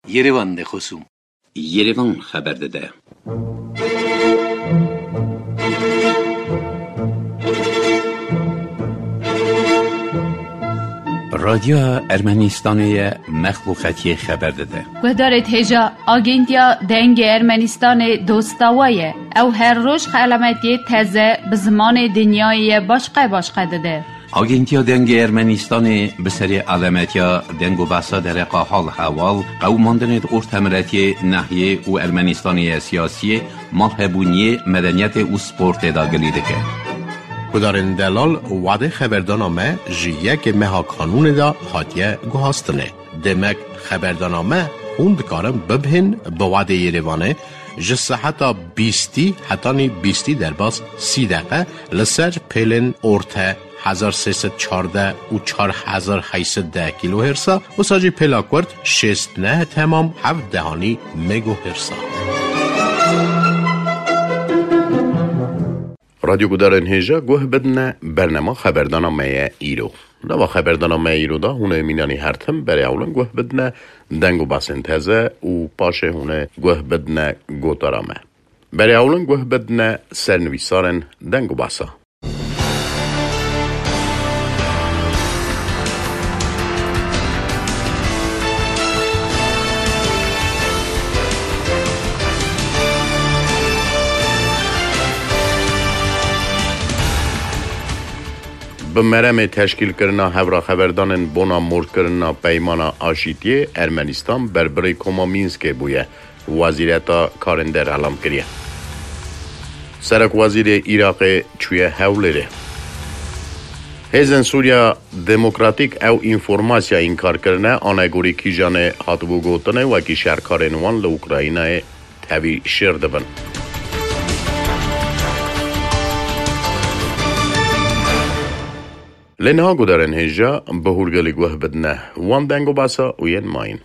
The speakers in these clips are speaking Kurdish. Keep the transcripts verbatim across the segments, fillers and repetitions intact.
Yerevan de xosûm. Yerevan xeber dide. Radyoya Ermenistanê ye, mexluqetiyê xeber dide. Guhdarê hêja, Agentiya Dengê Ermenistanê dosta we ye. Ew her roj xelametiyê teze bi zimanê dinyayê ye başqe başqe dide. Agentiya Dengê Ermenistanê bi serê alemetiya deng û behsa dereqa hal hewal, qewimandinê di ortemiletiyê, nehiyê û Ermenistanê ya siyasiyê, malhebûniyê, medeniyetê û sportê de gilî dike. Gudarên delal, wadê xeberdana me ji yekê meha kanûnê de hatiye guhastinê. Demek xeberdana me hûn dikarin bibihên bi wadê Yerevanê ji seheta bîstî hetanî bîstî derbas sî deqe li ser pêlên orte hezar sê sed çardeh û çar hezar heyt sed deh kîlohêrsa, wisa jî pêla kurt şêst neh temam heft dehanî megohêrsa. Radyo gudarên hêja guh bidine bernema xeberdana me ye îro. Nava xeberdana me îro da hûn ê mînanî her tim berê ewlin guh bidine deng û basên teze û paşê hûn ê guh bidine gotara me. Berê ewlin guh bidine sernivîsarên deng û basa. Bi meremê teşkîlkirina hevraxeberdanên bona morkirina Peymana Aşîtiyê, Ermenistan berbirê Koma Mînskê bûye, Wezîreta Karên Der elam kiriye. Serokwezîrê Iraqê çûye Hewlêrê. Hêzên Sûriya Demokratîk ew înformasya înkar kirine, anegorî kîjanê hatibû gotinê, wekî şerkarên wan li Ukraynayê tevî şêr dibin. Lê niha gudarên hêja bi hûrgilî guh bidine wan deng û basa û yên mayîn.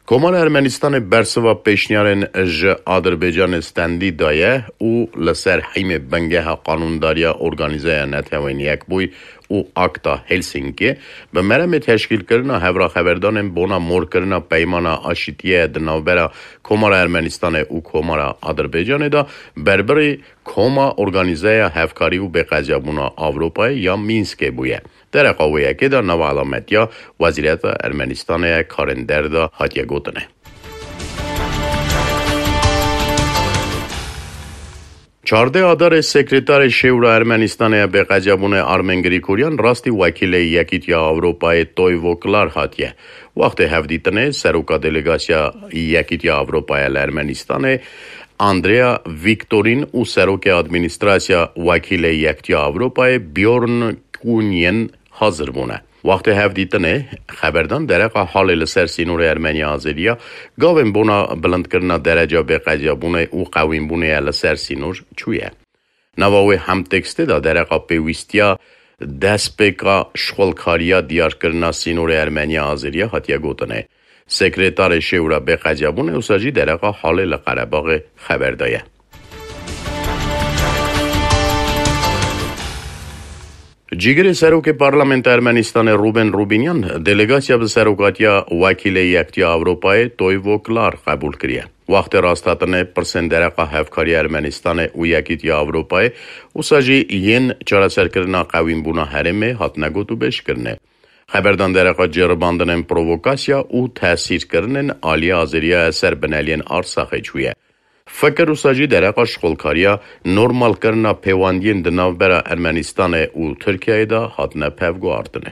Komara Ermenistanê bersiva pêşniyarên ji Adirbaycanê stendî daye û li ser hîmê bingeha qanûndariya Organîzeya Netewên Yekbûyî û Akta Helsinkê bi meremê teşkîlkirina hevraxeberdanên bona morkirina Peymana Aşîtiyê di navbera Komara Ermenistanê û Komara Adirbaycanê de berbirî Koma Organîzeya Hevkarî û Bêqeziyabûna Ewropayê ya Mînskê bûye. Dereqa wê yekê de nava elametiya Wezîreta Ermenistanê ya Karên Der de hatiye gotinê. Çardeh Adarê Sekretarê Şêwra Ermenistanê ya Bêqeziyabûnê Armen Grîgoryan rastî wekîlê Yekîtiya Ewropayê Toivo Klar hatiye. Wextê hevdîtinê seroka delegasiya Yekîtiya Ewropayê li Ermenistanê Andrea Viktorin û serokê administrasya wekîlê Yekîtiya Ewropayê Bjorn Kunyen hazir bûne. Wextê hevdîtinê, xeberdan dereqa halê li ser sînorê Ermeniya Azeriya, gavên bona bilindkirina dereca bêqeziyabûnê û qewînbûnê ye li ser sînor çûye. Nava wê hemtekstê de dereqa pêwîstiya destpêka şixulkariya diyarkirina sînorê Ermeniya Azeriya hatiye gotinê. Sekretarê Şêwra Bêqeziyabûnê wisa jî dereqa halê li Qerebaxê xeber daye. Cîgirê serokê Parlamenta Ermenistanê Rûben Rûbînyan delegasiya bi serokatiya wekîlê Yekîtiya Ewropayê Toivo Klar qebûl kiriye. Wextê rasthatinê pirsên dereqa hevkariya Ermenistanê û Yekîtiya Ewropayê, wisa jî yên çareserkirina qewînbûna herêmê hatine gotûbêjkirinê. Xeberdan dereqa ceribandinên provokasya û tesîrkirinên aliyê Azeriya ser bineliyên Arsaxê çûye. Fikir wisa jî dereqa şixulkariya normalkirina pêwendiyên di navbera Ermenistanê û Tirkiyeyê de hatine pevguhartinê.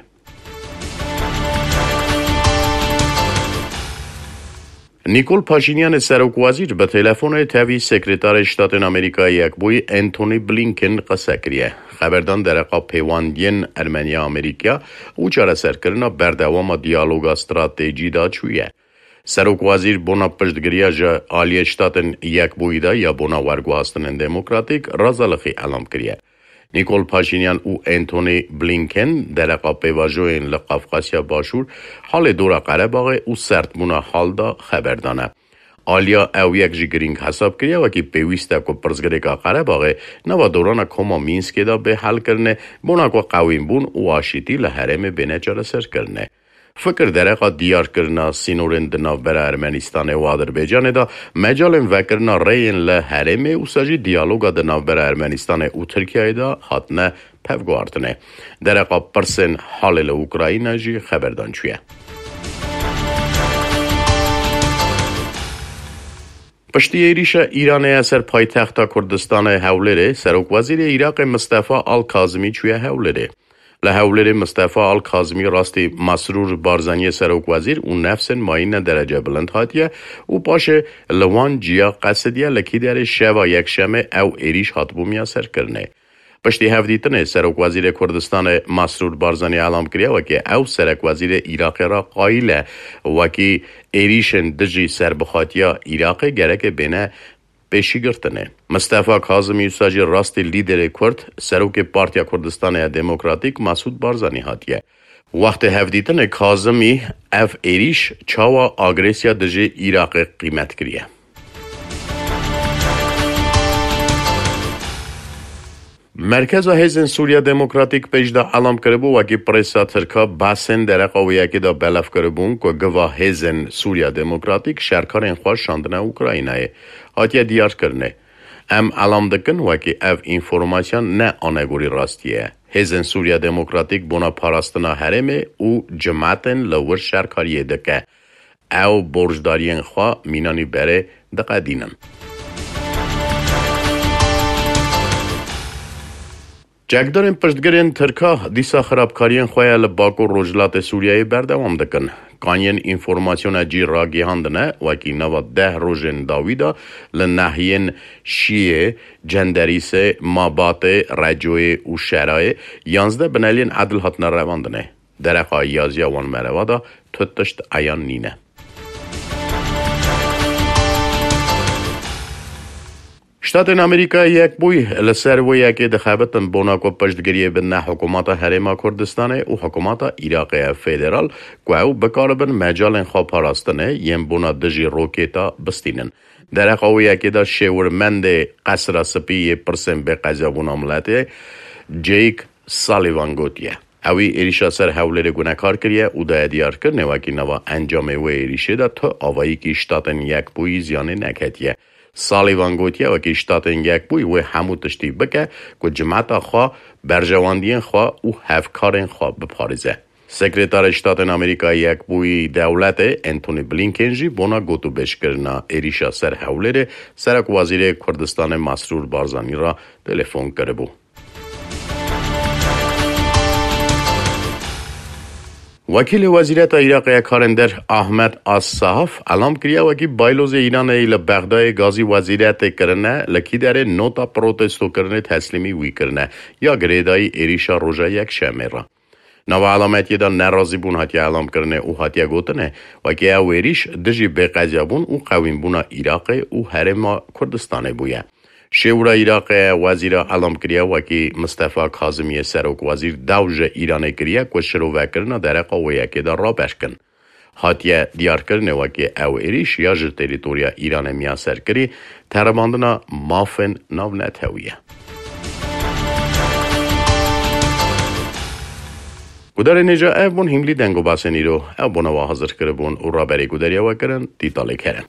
Nîkol Paşînyanê serokwezîr bi telefonê tevî Sekretarê Ştatên Amerîkayê Yekbûyî Antony Blinken qise kiriye. Xeberdan dereqa pêwendiyên Ermeniya Amerîkaya û çareserkirina berdewama diyaloga stratejî de çûye. Serokwezîr bona piştgiriya ji aliyê Ştatên Yekbûyî de ya bona werguhastinên demokratîk razalixî elam kiriye. Nîkol Paşînyan û Antony Blinken dereqa pêvajoyên li Qafqasya Başûr, halê dora Qerebaxê û serdbûna hal de xeber dane. Aliya ew yek jî girîng hesab kiriye, wekî pêwîst e ku pirsgirêka Qerebaxê nava dorana Koma Mînskê de bê helkirinê, bona ku qewînbûn û aşîtî li herêmê bêne çareserkirinê. Fikir dereqa diyarkirina sînorên di navbera Ermenistanê û Adirbaycanê de, mecalên vekirina rêyên li herêmê û sa jî diyaloga di navbera Ermenistanê û Tirkiyeyê de hatine pevguhartinê. Dereqa pirsên halê li Ukrayna jî xeberdan çûye. Piştî êrîşa Îranê ya ser paytexta Kurdistanê Hewlêrê, Serokwezîrê Iraqê Mistefa Al Kazimî çûye Hewlêrê. Li Hewlêrê Mistefa Al Kazimî rastî Masrûr Barzaniyê serokwezîr û nefsên mayîne derece bilind hatiye û paşê li wan ciya qesidiye, li Kîderê şeva yekşemê ew êrîş hatibû miyaserkirinê. Piştî hevdîtinê, Serokwezîrê Kurdistanê Masrûr Barzanî elam kiriye wekî ew serekwezîrê Iraqê re qayîl e, wekî êrîşên dijî serbixatiya Iraqê gereke bêne pêşîgirtinê. Mistefa Kazimî wisa jî rastî lîderê Kurd, serokê Partiya Kurdistanê ya Demokratîk Masûd Barzanî hatiye. Wextê hevdîtinê Kazimî ev êrîş çawa agresiya dijî Iraqê qîmet kiriye. Merkeza Hêzên Sûriya Demokratîk pêş de elam kiribû, wekî presa Tirka behsên dereqa wê yekê de belav kiribûn ku giva Hêzên Sûriya Demokratîk şerkarên xwe şandine Ukraynayê. Hatiye diyarkirinê. Em elam dikin wekî ev înformasiya ne anegorî rastiyê ye. Hêzên Sûriya Demokratîk bona parastina herêmê û cimetên li wir şerkariyê dike. Ew borcdariyên xwe mînanî berê diqedînin. Çekdarên piştgirên Tirka dîsa xirabkariyên xwe ya li Bakur Rojhilatê Sûriyeyê berdewam dikin. Kaniyên înformasyona cî ragihandine, wekî nava deh rojên dawî de li nahiyên Şiyê, Cenderîsê, Mabatê, Recoyê û Şerayê yanzdeh bineliyên edil hatine revandinê. Dereqa yaziya wan mereva de tu tişt eyan nîne. Ştatên Amerîkayê Yekbûyî li ser wê yekê dixebitin bona ku piştgiriyê bidine hikûmeta Herêma Kurdistanê û hikûmeta Iraqê ya Federal, ku ew bikaribin mecalên xwe parastinê yên bona dijî rokêta bistînin. Dereqa wê yekê de şêwirmendê Qesra Spî yê pirsên bêqezabûna miletê Jake Sullivan gotiye. Ewî êrîşa ser Hewlêrê gunekar kiriye û daye diyarkirinê wekî nava encamê wê êrîşê de tu avayîkî Ştatên Yekbûyî ziyanê neketiye. Sullivan gotiye, wekî Ştatên Yekbûyî wê hemû tiştî bike ku cimeta xwe, berjewendiyên xwe û hevkarên xwe biparêze. Sekreterê Ştatên Amerîkayê Yekbûyî Dewletê Antony Blinken jî bona gotûbêjkirina êrîşa ser Hewlêrê Serokwezîrê Kurdistanê Masrûr Barzanî re telefon kiribû. Wekîlê Wezîreta Iraqê ya Karên Der Ahmed As-Sahaf elam kiriye, wekî baylozê Îranê yî li Bexdayê gazî wezîretê kirine, li Kîderê nota protestokirinê teslîmî wî kirine, ya girêdayî êrîşa roja Yekşemê re. Nava elametiyê de nerazîbûn hatiye elamkirinê û hatiye gotinê, wekî ew êrîş dijî bêqezabûn û qewînbûna Iraqê û Herêma Kurdistanê bûye. Şêwira Iraqê wezîra elam kiriye, wekî Mistefa Kazimiyê serokwezîr daw ji Îranê kiriye ku şirovekirina dereqa wê yekê de raber kin. Hatiye diyarkirinê, wekî ew êrîş ya ji terîtoriya Îranê miyaserkirî teribandina mafên navnetewî ye. Gudarên hêja, ev bûn hîmlî deng û basên îro. Ew bona we hazir kiribûn û raberê gudariya we kirin Dîtalê Kerem.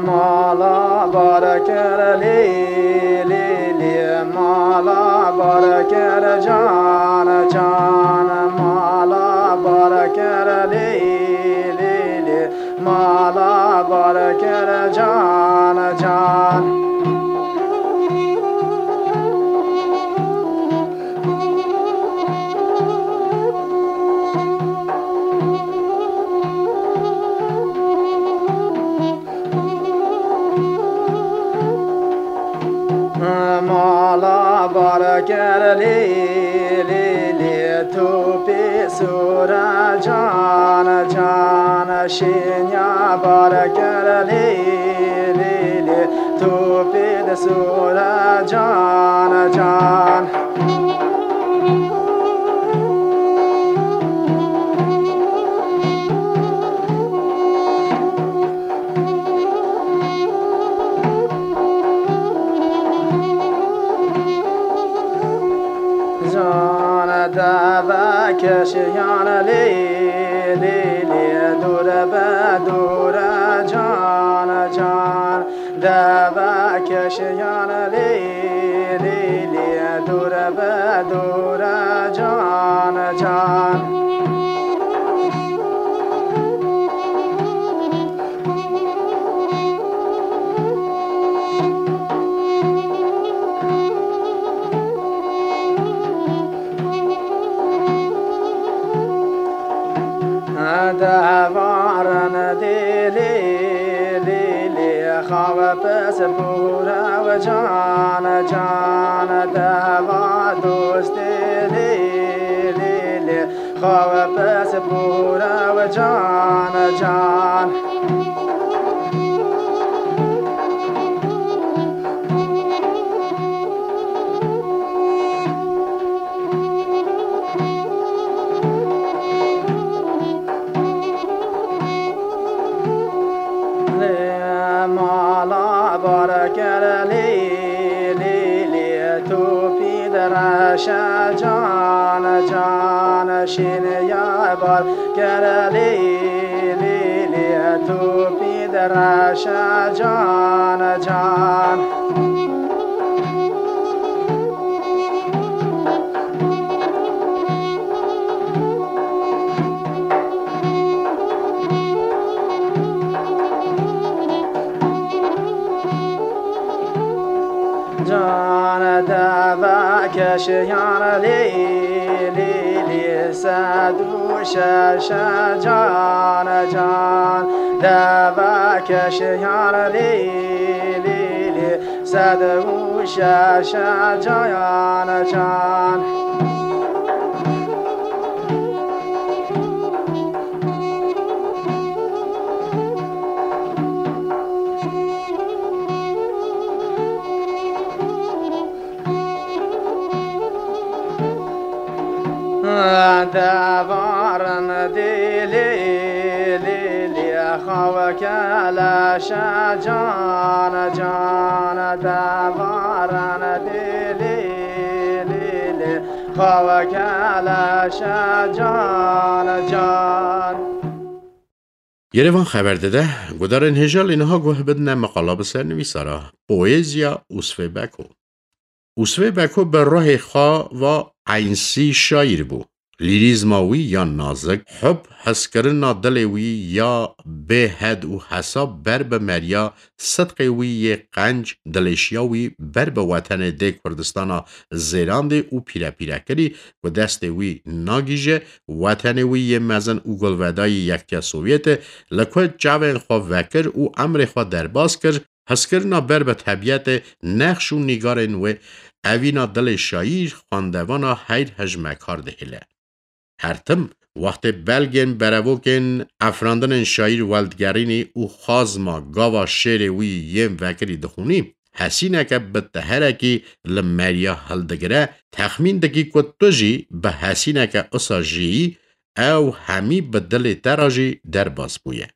Mala bar kir lî lî lî, mala bar kir can can, mala bar kir lî lî lî, mala bar kir can can. Mala bar kir lî lî lî, tûpî sûre can can, şînya bar kir lî lî lî, tûpî di sûre can can. Keşiyan lê, lê, lê, dûr be dûr, can, can. Deve keşiyan lê, lê, lê, dûr be dûr, can, can. Devarin dê lê, lê, lê, xawe pes bûre we can, can. Deva dostê lê, lê, lê, xawe pes bûre we can, can. Lê mala bar kir lê, lê, lê, topî direşe can, can. Şîniya bar kir lê, lê, lê, topî direşe can, can. Can deve keşiyan lê, lê, lê, sed û şeş can, can. Deve keşiyan lê, lê, lê, sed û şeş can, can. Devarin dê lê, lê, lê, xawe keleşe can, can. Devarin dê lê, lê, lê, xawe keleşe can, can. Yerevan xeber dide, gudarên hêja lê niha guh bidine meqala bi ser nivîsara, poeziya Usvê Beko. Usvê Beko bi ruhê xwe ve eynsî şaîr bû. Lîrîzma wî ya nazik, hub, hezkirina dilê wî ya bêhed û hesab ber bi meriya, sidqê wî yê qenc, dilêşiya wî ber bi wetenê dê Kurdistana zêrandê û pîrepîrekirî ku destê wî nagîje, wetenê wî yê mezin û gulvedayî Yektiya Sovyetê li ku çavên xwe vekir û emrê xwe derbas kir, hezkirina ber bi tebiyetê, nexş û nîgarên wê, evîna dilê şaîr, xwendevana heyr hejmekar dihêle. Her tim, wextê belgên berevokên efrandinên şaîr weldigerînî û xazma gava şêrê wî yên vekirî dixwînî, hesîneke bi teherekî li meriya hildigire, texmîn dikî ku tu jî bi hesîneke usa jiyî, ew hemî bi dilê te re jî derbas bûye.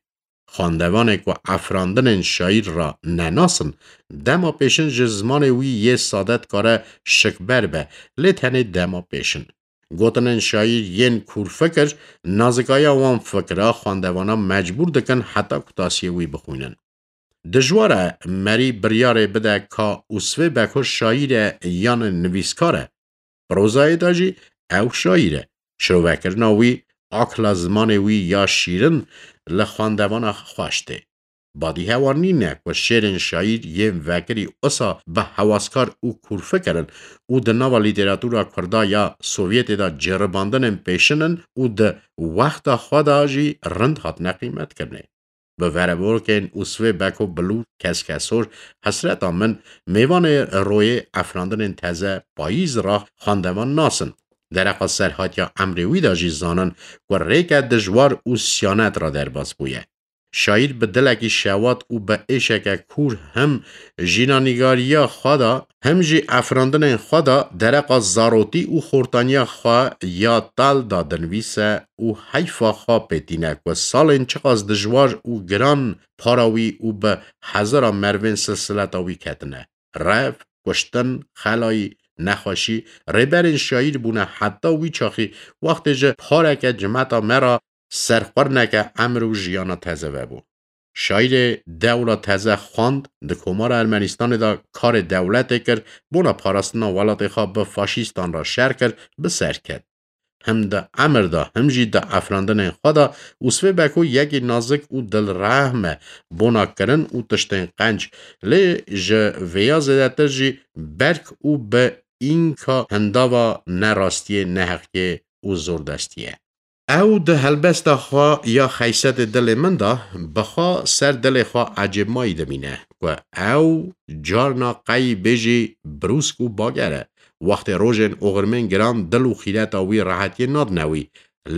Xwendevanê ku efrandinên şaîr re nenasin, dema pêşin ji zimanê wî yê sade dikare şikber be, lê tenê dema pêşin. Gotinên şaîr yên kûrfikir, nazikaya wan fikra xwendevana mecbûr dikin heta kutasiyê wî bixwînin. Dijwar e merî biryarê bide ka Usvê Beko şaîr e yan nivîskar e. Prozayê de jî ew şaîr e. Şirovekirina wî, akla zimanê wî ya şîrin li xwendevana xweş tê. Badîhewa nîne ku şêrên şaîr yên vekirî usa bi hewaskar û kûrfikir in û di nava lîteratûra kurda ya Sovyetê de ceribandinên pêşin in û di wexta xwe de jî rind hatine qîmetkirinê. Bi verevorkên Usvê Beko Bilûr Keskesor, Hesreta Min, mêvanê royê efrandinên teze Payîz ra xwendevan nasin. Dereqa serhatiya emrê wî de jî zanin ku rêke dijwar û siyanet ra derbas bûye. Şaîr bi dilekî şewat û bi êşeke kûr him jînanîgariya xwe de, him jî efrandinên xwe de dereqa zarotî û xortaniya xwe ya tal da dinivîse û heyfa xwe pê tîne ku salên çiqas dijwar û giran para wî û bi hezara merivên silsileta wî ketine. Rev, kuştin, xelayî, nexweşî, rêberên şaîr bûne heta wî çaxî wextê ji pareke cimeta me re serxwerneke emir û jiyana teze vebû. Şaîrê dewla teze xwend, di Komara Ermenistanê de karê dewletê kir, bona parastina welatê xwe bi faşîstan re şer kir, bi ser ket. Him di emir de, him jî di efrandinên xwe de Usfê Beko yekî nazik û dilrehm e bona kirin û tiştên qenc, lê ji vêya zêdetir jî berk û bi înka hindava nerastiyê, neheqiyê û zordestiyê. Ew di helbesta xwe ya Xeysetê dilê min de bi xwe ser dilê xwe ecêbmayî dimîne ku ew carna qey bêjî brûsk û bager e. Wextê rojên oxirmên giran dil û xîreta wî rehetiyê nadine wî,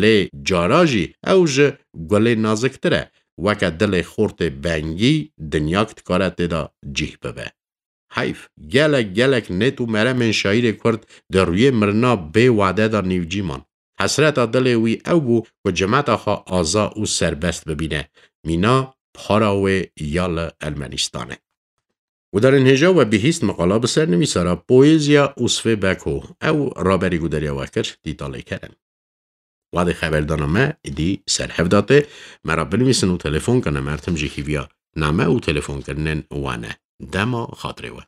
lê cara jî ew ji gulê naziktir e, weke dilê xortê bengî dinyak dikare tê de cîh bibe. Heyf, gelek gelek nêt û meremên şaîrê Kurd di rûyê mirina bê wade de nîvcî man. Hesreta dilê wî ew bû ku cimeta xwe aza û serbest bibîne, mîna para wê ya li Ermenistanê. Gudarên hêja we bihîst miqala bi ser nivîsara poêziya Usfê Beko, ew raberî gudariya we kir, Dîtalê Kerem. Wadê xeberdana me êdî ser hev de tê. Me re binivîsin û telefon kene, me tim jî hîviya name û telefonkirinên wan e. Dema xatirê we.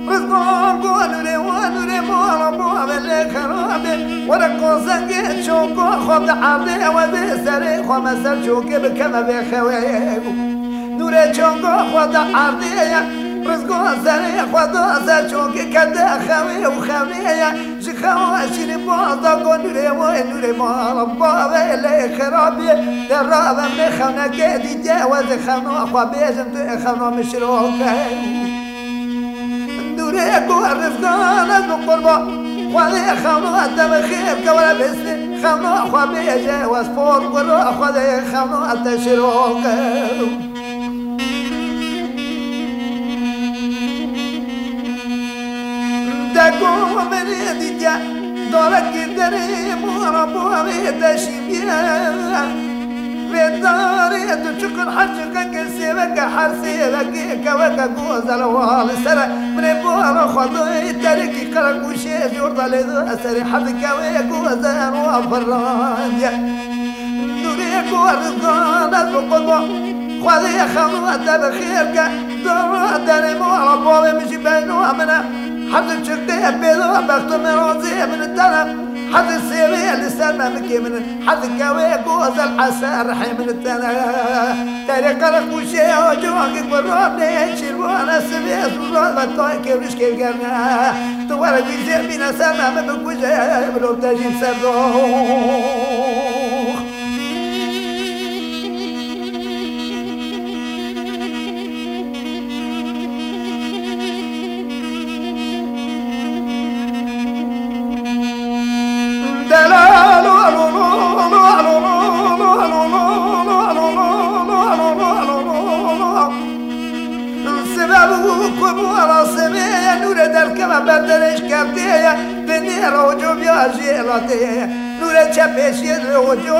Rizvan got nûrê wan, nûrê mala bo, ev lê xerabe. Were konsengê çoko xwe bi erdê, ew ê vê serê xwe me ser çokê bikeve vê xewê. Nûrê çoko xwe di erdê ye, Rizvan serê xwe da ser çokê kete xewê û xewê ye. Ji xewa şîrîn baz da got nûrê wê, nûrê mala bavê lê xerabê. De rabe me xewneke dîtiye, ew ê xewna xwe bêjim, tu ê xewna min şiroke. Nûrê ku Rizvan ez bi qurba, Xwedê xewna te bi xêr ke were bêstê, xewna xwe bêje, wez por guro, Xwedê xewna te şiroke. Dego min ê dîtiye, darekî derê mora bo wê te şîviye. Vê darê tu çiqir her çiqeke sêveke, her sêvekê keweke gozel wa li ser e. Min ê bala Xwedê terekî qereqûşê jor da lê da serê, her kewê gozel wa firrandiye. Nûrê ku Rizvan ez bi qurba, Xwedê xewna te bi xêr ke. Dora derê mala bavê min jî beyna min e. Her du çiqê pêda bexto min razê min tene. Hedi sêvê li ser memikê min in, hedi kewê gozel eser rihê min tene. Terê qereqûşê ocakê ku ranê şîrvane sivê zûra ve tayê kêvrişkê gerne. Tu were wî zêr bîne ser me, min bikuje, bilo te jî ser dox. Sebeb û ku bû ara semê ye nûrê derkeve ber derêj kevtê ye, binê roco viya jêlatê ye. Nûrê çepêşiyê li oco,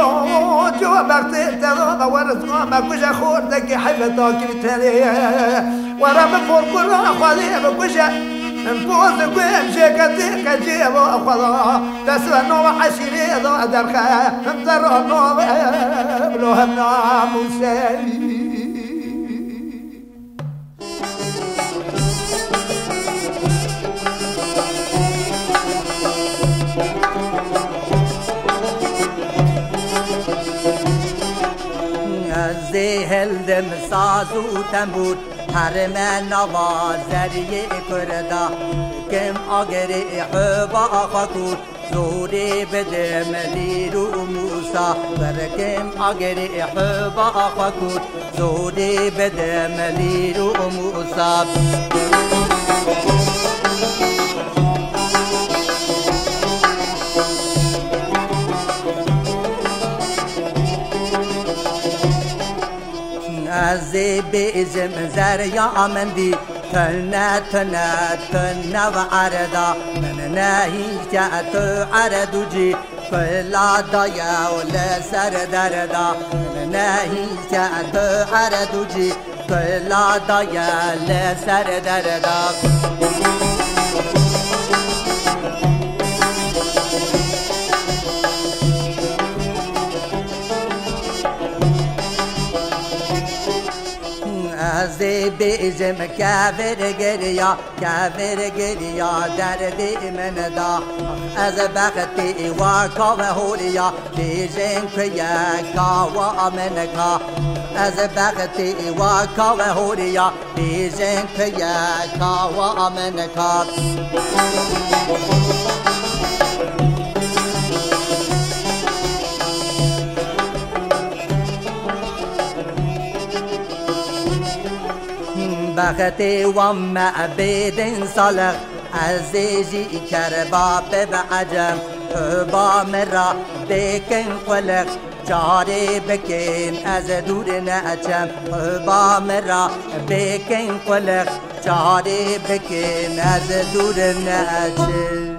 oco bextê te Were zina me kuje xortekî heyveta kî tenê. Were min porkura xwedê bikuje. Em poz ku em jêketê qecê eva xweda. Dest ve nava eşîrê da derxe. Em zerra nave bilo hem namûseyî. Ez ê hildim saz û tembûr, herime nava zeriyê Kurda, kim agirê heba xwe kûr. Zorê bidim lîr û mûsa, werkim agirê heba xwe kûr. Zorê bidim lîr û mûsa. Ez ê bêjim zerya min dî, tune, tune, tune ve erda. Min nehîşte tu erdû cî, kula daye û li ser derda. Min nehîşte tu erdû cî, kula daye li ser derda. Ez ê bêjim kevir giriya, kevir giriya derdê min da. Ez bextê wa ka ve horiya, bêjin ku ye ka wa min ka. Ez bextê wa ka ve horiya, bêjin ku ye ka wa min ka. Bextê wan me bêdin salix, ez ê jî kerba bibe ecem. Ba min ra bêkin qulix, carê bikin ez dûr neçem. Ba min ra bêkin qulix, carê bikin ez dûr neçim.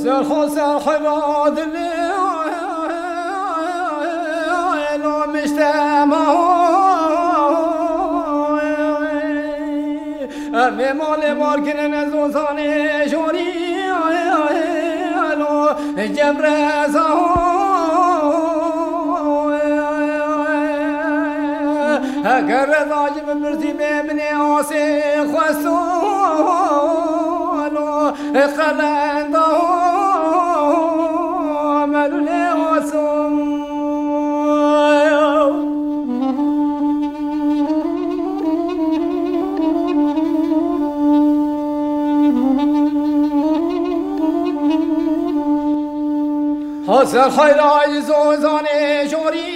Ser xwe, ser xwe radilê, lo miştema. Em ê malê mar kirin ez ozanê jorî lo cemreza. Heger reza ji min pirsî bê min ê asê xwesto lo qelenda melûlê aso. Hasan Xayra ji Zozanê jorî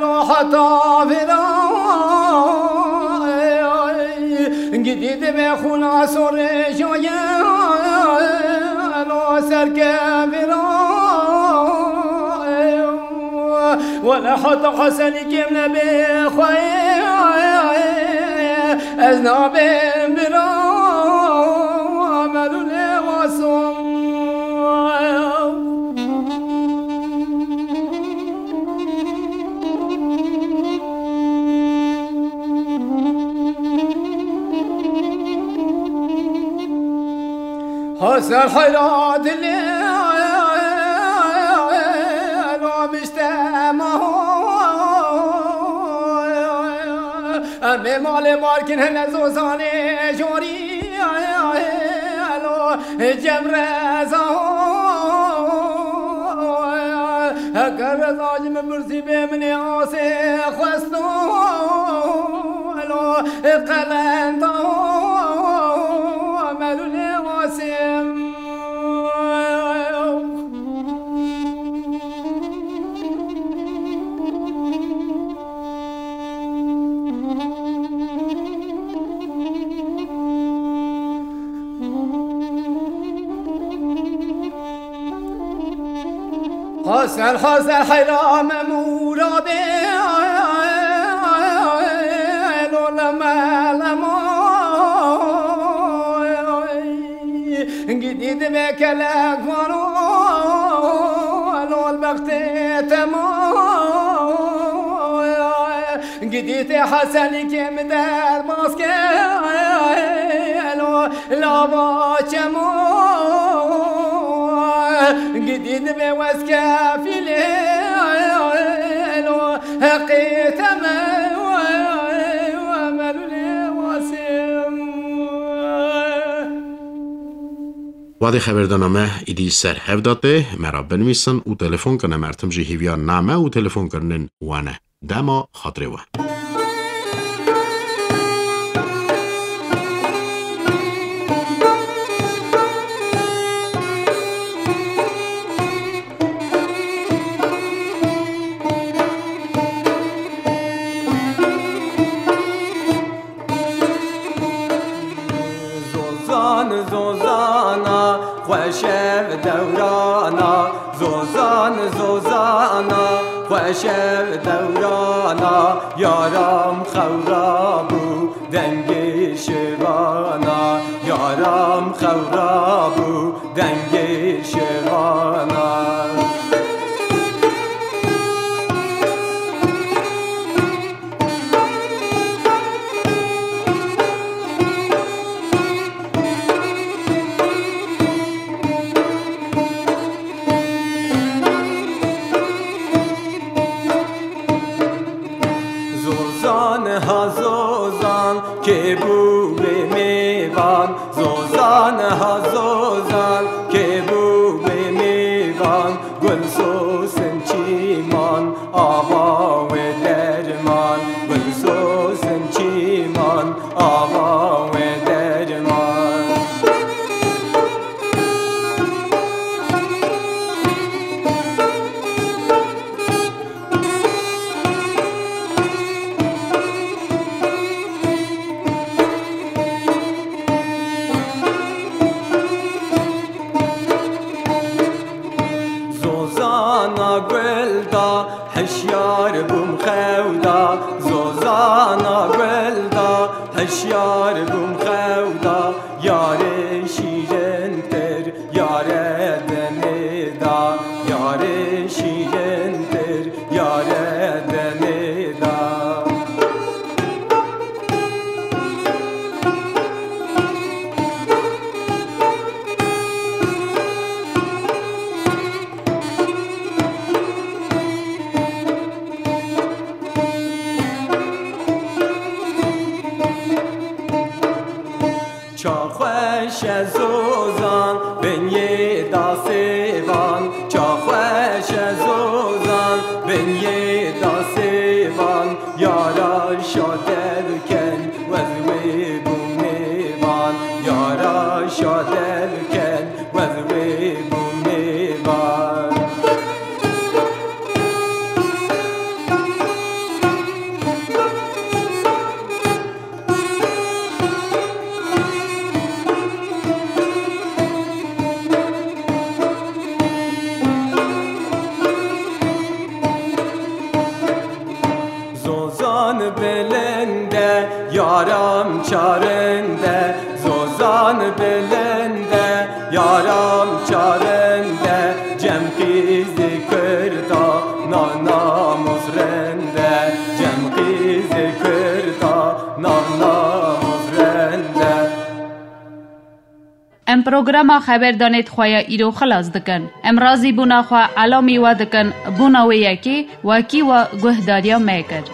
lo heta vira. Gidî dibe xûna sorê joye lo serkevira. Wele heta Hesenî kêm nebe xwe, ez nabêm bira melûlê waso. Hasan Xayra dilê lo miştema. Em ê malê markin hene Zozanê jorî lo cemreza. Heger reza ji min pirsî bê min ê asê xwesto. Lo qelenda melûlê wasim. Hasan, Hasan, heyra me murabê, lo leme lemo. Gidî divê kelek vano, lo bextê temo. Gidî tê Hesenî kê min derbas kelo lava çemo. Gidî divê wez kefîlê lo heqê teme melûlê wasê. Wadê xeberdana me îdî ser hev da tê, me ra binivîsin û telefon kine, em tim jî hêviya name û telefonkirinên we ne. Dema xatirê we. Zozan, zozana, xweş ev dewrana. Zozan, zozana, xweş ev dewrana. Yaram xewra bû dengê şevana. Yaram xewra bû dengê şevana. Zozan ha zozan, kê bû wê mêvan? Zozan ha zozan, kê bû wê mêvan? Gulsosin çîman, ava wê derman. Gulsosin çîman, ava wê derman. Zozana gul da, hişyar bûm xew da. Zozana gul da, hişyar bûm xew da. Yarê şîrintir, yare denê da. Yarê şîrintir, yare denê da. Ça xweş e zozan, bin yê da sêvan. Ça xweş e zozan, bin yê da sêvan. Yara şadev ken, wez wê bû mêvan. Yara şadev ken, wez wê bû mêvan. Zozan bilind e, yaram çarind e. Zozan bilind e, yaram çarind e. Cem qîzê Kurda, nav namûs rind e. Cem qîzê Kurda, nav namûs rind e. Em programa Xeberdanê di xwe ya îro xilas dikin. Em razîbûna xwe elamî we dikin, bona wê yekê wekî we guhdariya me kir.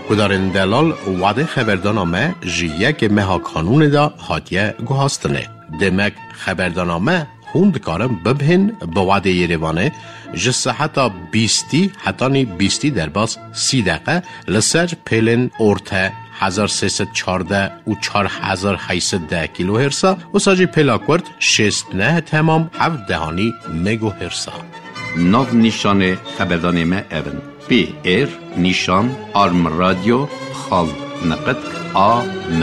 Guhdarên delal, wadê xeberdana me ji yekê meha Kanûnê de hatiye guhastinê. Demek xeberdana me hûn dikarin bibihên bi wadê Yerêvanê ji seheta bîstî hetanî bîstî derbas sî deqe li ser pêlên orte hezar sê sed çardeh û çar hezar heyt sed deh kilohertsa, wisa jî pêla kurt şêst neh temam heft dehanî megohertsa. Nav nîşanê xeberdanê me ev in: P R nîşan arm radyo xal neqet A M.